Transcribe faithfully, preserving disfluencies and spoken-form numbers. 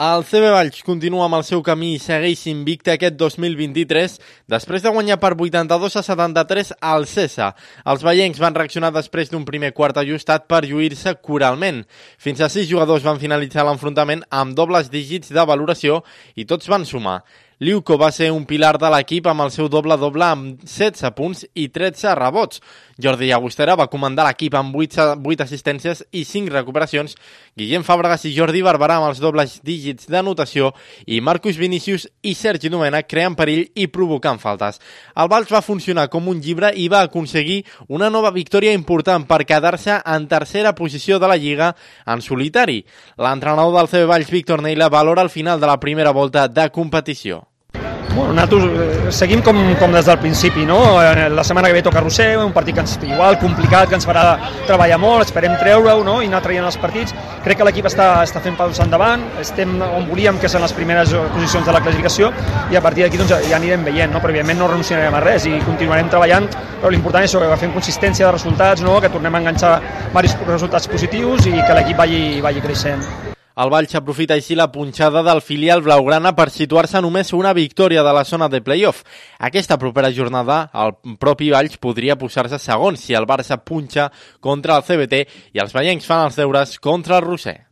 El C B Valls continua amb el seu camí i segueix invicte aquest dos mil vint-i-tres després de guanyar per vuitanta-dos a setanta-tres al Cesa. Els vallencs van reaccionar després d'un primer quart ajustat per lluir-se coralment. Fins a sis jugadors van finalitzar l'enfrontament amb dobles dígits de valoració i tots van sumar. Liuco va ser un pilar de l'equip amb el seu doble-doble amb setze punts i tretze rebots. Jordi Llagostera va comandar l'equip amb vuit assistències i cinc recuperacions. Guillem Fàbregas i Jordi Barberà amb els dobles dígits d'anotació i Marcus Vinícius i Sergi Domènech creant perill i provocant faltes. El Valls va funcionar com un llibre i va aconseguir una nova victòria important per quedar-se en tercera posició de la Lliga en solitari. L'entrenador del C B Valls, Víctor Neila, valora el final de la primera volta de competició. Bueno, nosaltres seguim com, com des del principi, no? La setmana que ve toca Roser, un partit que ens, igual complicat, que ens farà treballar molt, esperem treure-ho, no? I anar traient els partits. Crec que l'equip està, està fent passos endavant, estem on volíem, que són les primeres posicions de la classificació, i a partir d'aquí doncs, ja anirem veient, no? Però evidentment no renunciarem a res i continuarem treballant, però l'important és que fem consistència de resultats, no? Que tornem a enganxar diversos resultats positius i que l'equip vagi, vagi creixent. El Valls aprofita així la punxada del filial blaugrana per situar-se només una victòria de la zona de play-off. Aquesta propera jornada, el propi Valls podria posar-se segon si el Barça punxa contra el C B T i els vallencs fan els deures contra el Roser.